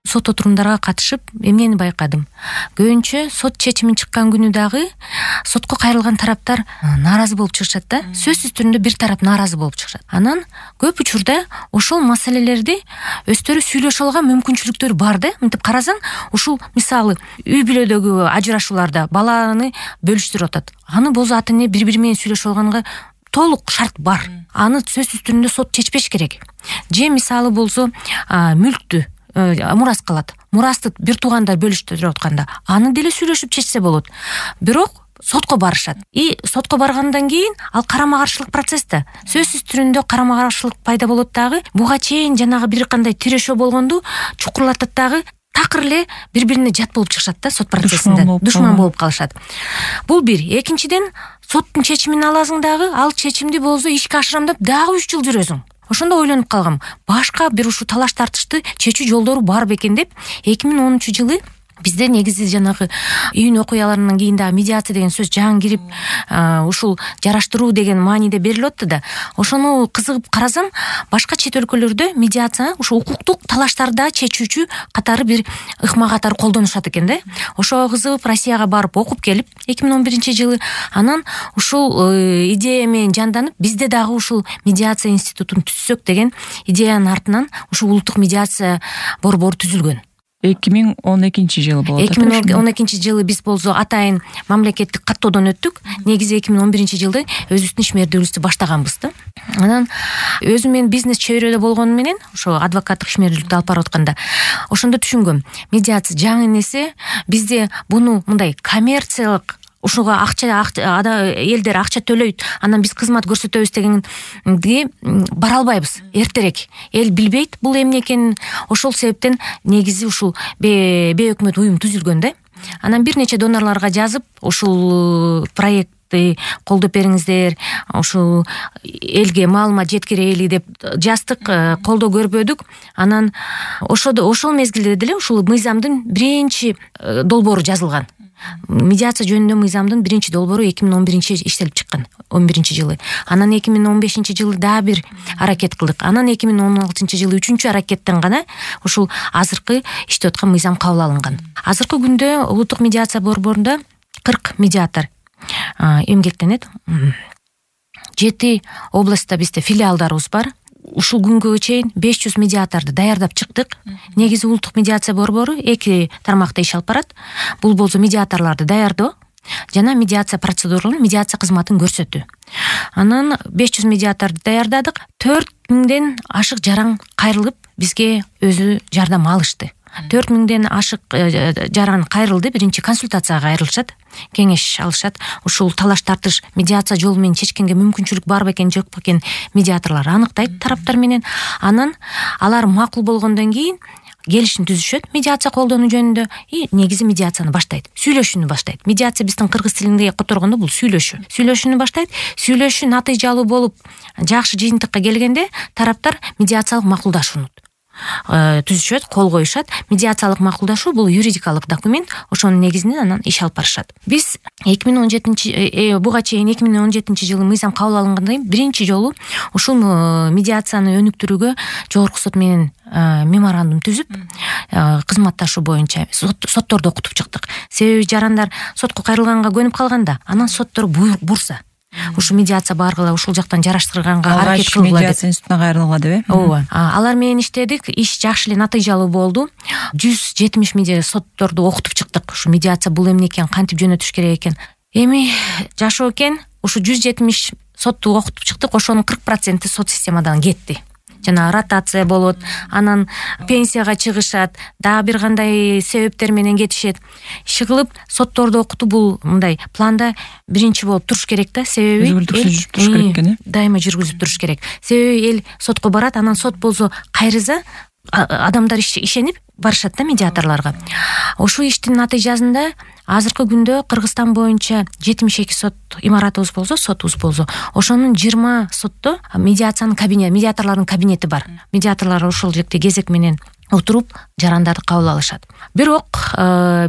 сот отурумдарга катышып эмнени байкадым? Көбүнчө сот чечими чыккан күнү дагы сотко кайрылган тараптар нааразы болуп чыгышат да. Сөзсүз түрүндө бир тарап нааразы болуп чыгышат. Анан көп учурда ошол маселелерди өздөрү сүйлөшө алган мүмкүнчүлүктөр бар да. Мынтип карасаң, ушул мисалы үй бүлөдөгү ажырашууларда баланы бөлүштүрүп атат. Аны болсо ата эне бири-бири менен сүйлөшө алганга толук шарт бар. Аны сөзсүз түрүндө сот чечпеш керек. Же мисалы болсо мүлктү мурас калат. Мурасты бир туугандар бөлүштүрүп атканда аны деле сүйлөшүп чечсе болот. Бирок сотко барышат. И сотко баргандан кийин ал карама каршылык процесс да. Сөзсүз түрүндө карама каршылык пайда болот дагы. Буга чейин жанагы бир кандай тирешөө болгонду чукурлатат дагы. Такыр эле бири-бирине жат болуп чыгышат да сот процессинде. Душман болуп калышат. Бул бир. Экинчиден, соттун чечимин аласың дагы, ал чечимди болсо ишке ашырам деп дагы 3 жыл жүрөсүң. Ошондо ойлонуп калгам. Башка бир ушу талаш тартышты чечүү жолдору бар бекен деп 2010-жылы бизде негизи жанагы июнь окуяларынан кийин дагы медиация деген сөз жаңы кирип, ушул жараштыруу деген мааниде берилип атты да. Ошону кызыгып карасам, башка чет өлкөлөрдө медиация ушу укуктук талаштарды чечүүчү катары бир ыкма катары колдонушат экен да. Ошого кызыгып Россияга барып окуп келип 2011-жылы анан ушул идея менен жанданып, бизде дагы ушул медиация институтун түзсөк деген идеянын артынан ушул улуттук медиация борбору түзүлгөн. 2012-жылы болот. 2012-жылы биз болсо атайын мамлекеттик каттоодон өттүк. Негизи 2011-жылы өзүбүздүн ишмердүүлүктү баштаганбыз да. Анан өзүм мен бизнес чөйрөдө болгону менен ошо адвокаттык ишмердүүлүктү алып барып атканда ошондо түшүнгөм. Медиация жаңы нерсе, бизде буну мындай коммерциялык ушуга элдер акча төлөйт, анан биз кызмат көрсөтөбүз дегенге бара албайбыз. Эртерээк эл билбейт бул эмне экенин. Ошол себептен негизи ушул бейөкмөт уюм түзүлгөн да. Анан бир нече донорлорго жазып, ушул проектти колдоп бериңиздер, ушул элге маалымат жеткирели деп жаздык, колдоо көрбөдүк. Анан ошол мезгилде деле ушул мыйзамдын биринчи долбоору жазылган. Медиация жөнүндө мыйзамдын биринчи долбоору 2011 иштелип чыккан, 11-жылы. Анан 2015-жылы дагы бир аракет кылдык. Анан 2016-жылы 3-чү аракеттен гана ушул азыркы иштеп аткан мыйзам кабыл алынган. Азыркы күндө улуттук медиация борборунда 40 медиатор эмгектенет. 7 областта бизде филиалдарыбыз бар. Ушул күнгө чейин 500 медиаторду даярдап чыктык. Негизи улуттук медиация борбору 2 тармакта иш алып барат. Бул болсо медиаторлорду даярдоо жана медиация процедураларын, медиация кызматын көрсөтүү. Анан 500 медиаторду даярдадык. 4000ден ашык жаран кайрылып бизге өзү жардам алышты. 4000ден ашык жаран кайрылды, биринчи консультацияга кайрылышат, кеңеш алышат. Ушул талаш тартыш медиация жолу менен чечкенге мүмкүнчүлүк бар бекен, жок бекен медиаторлор аныктайт тараптар менен. Анан алар макул болгондон кийин келишим түзүшөт медиация колдонуу жөнүндө и негизи медиацияны баштайт. Сүйлөшүүнү баштайт. Медиация биздин кыргыз тилинде которгондо бул сүйлөшүү. Сүйлөшүүнү баштайт. Сүйлөшүү натыйжалуу болуп, жакшы жыйынтыкка келгенде тараптар медиациялык макулдашууну түзүшөт, кол коюшат. Медиациялык макулдашуу бул юридикалык документ, ошонун негизинде анан иш алып барышат. Биз 2017 буга чейин 2017-жылы мыйзам кабыл алынгандан кийин биринчи жолу ушул медиацияны өнүктүрүүгө жогорку сот менен меморандум түзүп, кызматташуу боюнча сотторду окутуп чыктык. Себеби жарандар сотко кайрылганга көнүп калганда, анан соттор бурса, ушу медиация баргыла, ушул жактан жараштырганга аракет кылгыла деп. Медиация институтуна кайрылгыла деп. Ооба. Алар менен иштедик, иш жакшы эле натыйжалуу болду. 170 медиа сотторду окутуп чыктык. Ушу медиация бул эмне экен, кантип жөнөтүш керек экен. Эми жашоо экен, ушу 170 сотту окутуп чыктык, ошонун 40% сот системадан кетти. Жана ротация болот, анан пенсияга чыгышат, дагы бир кандай себептер менен кетишет. Иши кылып сотторду окутуу бул мындай планда биринчи болуп туруш керек да, себеби жүргүзүп туруш керек экен. Дайыма жүргүзүп туруш керек. Себеби эл сотко барат, анан сот болсо кайрыза, адамдар ишенип барышат да медиаторлорго. Ошол иштин натыйжасында азыркы күндө Кыргызстан боюнча 72 сот имаратыбыз болсо, сотубуз болсо, ошонун 20 сотто медиациянын кабинети, медиаторлордун кабинети бар. Медиаторлор ошол жерде кезек менен отуруп жарандарды кабыл алышат. Бирок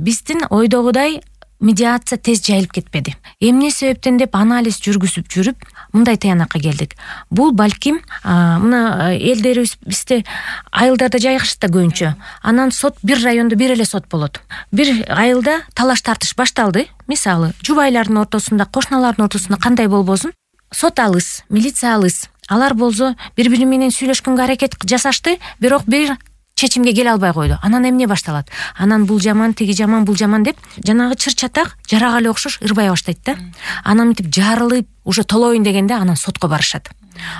биздин ойдогудай медиация тез жайылып кетпеди. Эмне себептен деп анализ жүргүзүп жүрүп мындай таянакка келдик. Бул балким мына элдерибиз бизде айылдарда жайгашат да көбүнчө. Анан сот бир райондо бир эле сот болот. Бир айылда талаш тартыш башталды. Мисалы, жубайлардын ортосунда, кошуналардын ортосунда кандай болбосун, сот алыс, милиция алыс. Алар болсо бири-бири менен сүйлөшкөнгө аракет жасашты, бирок бир чечимге келе албай койду. Анан эмне башталат? Анан бул жаман, тиги жаман, бул жаман деп жанагы чыр-чатак жарагалы окшош ырбай баштайт да. Анан мынтип жарылып, уже толоюн дегенде анан сотко барышат.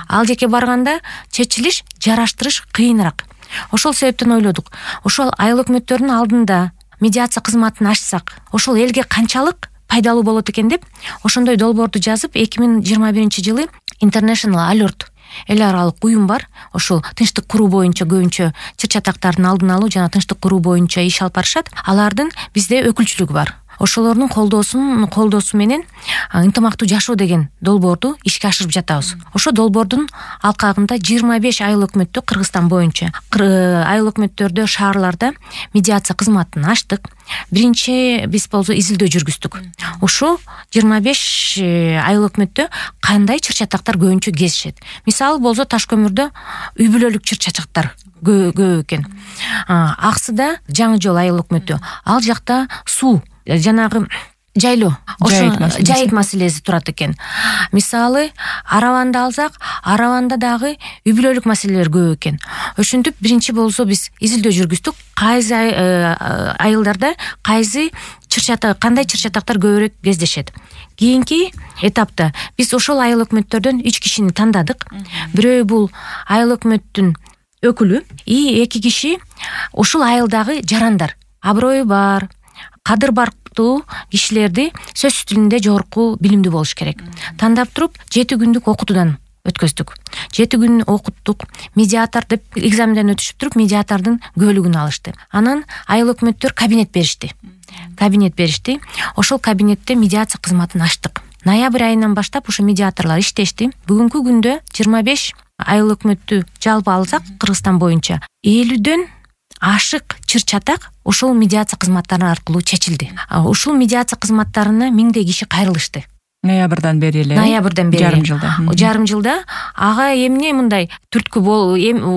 Ал жеке барганда чечилиш, жараштырыш кыйыныраак. Ошол себептен ойлодук. Ошол айыл өкмөттөрдүн алдында медиация кызматын ачсак, ошол элге канчалык пайдалуу болот экен деп, ошондой долбоорду жазып, 2021-жылы International Alert эл аралык уюм бар. Ошол тынчтык куруу боюнча көбүнчө чыр-чатактардын алдын алуу жана тынчтык куруу боюнча иш алып барышат. Алардын бизде өкүлчүлүгү бар. Ошолордун колдоосу менен ынтымактуу жашоо деген долбоорду ишке ашырып жатабыз. Ошо долбоордун алкагында 25 айыл өкмөттө Кыргызстан боюнча айыл өкмөттөрдө, шаарларда медиация кызматын ачтык. Биринчи биз болсо изилдөө жүргүздүк. Ошо 25 айыл өкмөттө кандай чыр-чатактар көбүнчө кезишет. Мисалы болсо Таш көмүрдө үй бүлөлүк чыр-чатактар көп экен. Аксыда Жаңы жол айыл өкмөтү. Ал жакта суу, жанагы жайлоо, жайыт маселеси турат экен. Мисалы, Араванды алсак, Араванда дагы үй бүлөлүк маселелер көп экен. Ошентип биринчи болсо биз изилдөө жүргүздүк. Кайсы айылдарда кайсы кандай чыр-чатактар көбүрөөк кездешет. Кийинки этапта биз ошол айыл өкмөттөрдөн 3 кишини тандадык. Бирөө бул айыл өкмөттүн өкүлү, 2 киши ушул айылдагы жарандар, аброю бар, кадыр бартуу кишилерди сөз тилинде жогорку билимдүү болуш керек. Тандап туруп 7 күндүк окутуудан өткөздүк. 7 күн окуттук. Медиатор деп экзаменден өтүшүп туруп, медиатордун көөлүгүн алышты. Анан айыл өкмөттөр кабинет беришти. Ошол кабинетте медиация кызматын ачтык. Ноябрь айынан баштап ошо медиаторлор иштешти. Бүгүнкү күндө 25 айыл өкмөттү жалпы алсак Кыргызстан боюнча 50дөн ашык чыр-чатак ошол медиация кызматтары аркылуу чечилди. Ушул медиация кызматтарына 1000 киши кайрылышты. Ноябрдан бери эле. Жарым жылда. Ага эмне мындай түрткү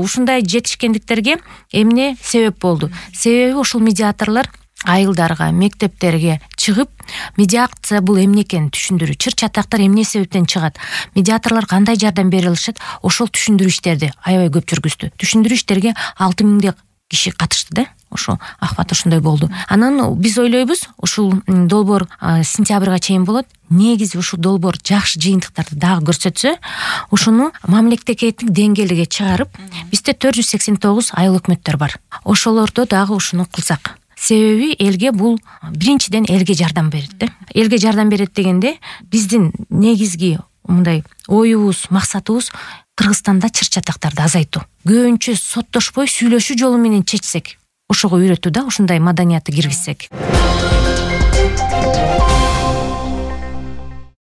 ушундай жетишкендиктерге эмне себеп болду? Себеби ошол медиаторлор айылдарга, мектептерге чыгып, медиация бул эмне экенин түшүндүрүү, чыр-чатактар эмне себептен чыгат, медиаторлор кандай жардам бере алышат, ошол түшүндүрүү иштерди аябай көп жүргүздү. Түшүндүрүү иштерге 6000 киши катышты да. Ошо ахват ошондой болду. Анан биз ойлойбуз, ушул долбоор сентябрга чейин болот. Негизи ушул долбоор жакшы жыйынтыктарды дагы көрсөтсө, ушуну мамлекеттик деңгээлге чыгарып, бизде 489 айыл өкмөттөр бар. Ошолордо дагы ушуну кылсак. Себеби элге бул биринчиден элге жардам берет да. Элге жардам берет дегенде биздин негизги мындай оюбуз, максатыбыз Кыргызстанда чыр-чатактарды азайтуу. Көбүнчө соттошпой сүйлөшүү жолу менен чечсек, ошого үйрөтүү да, ушундай маданиятты киргизсек.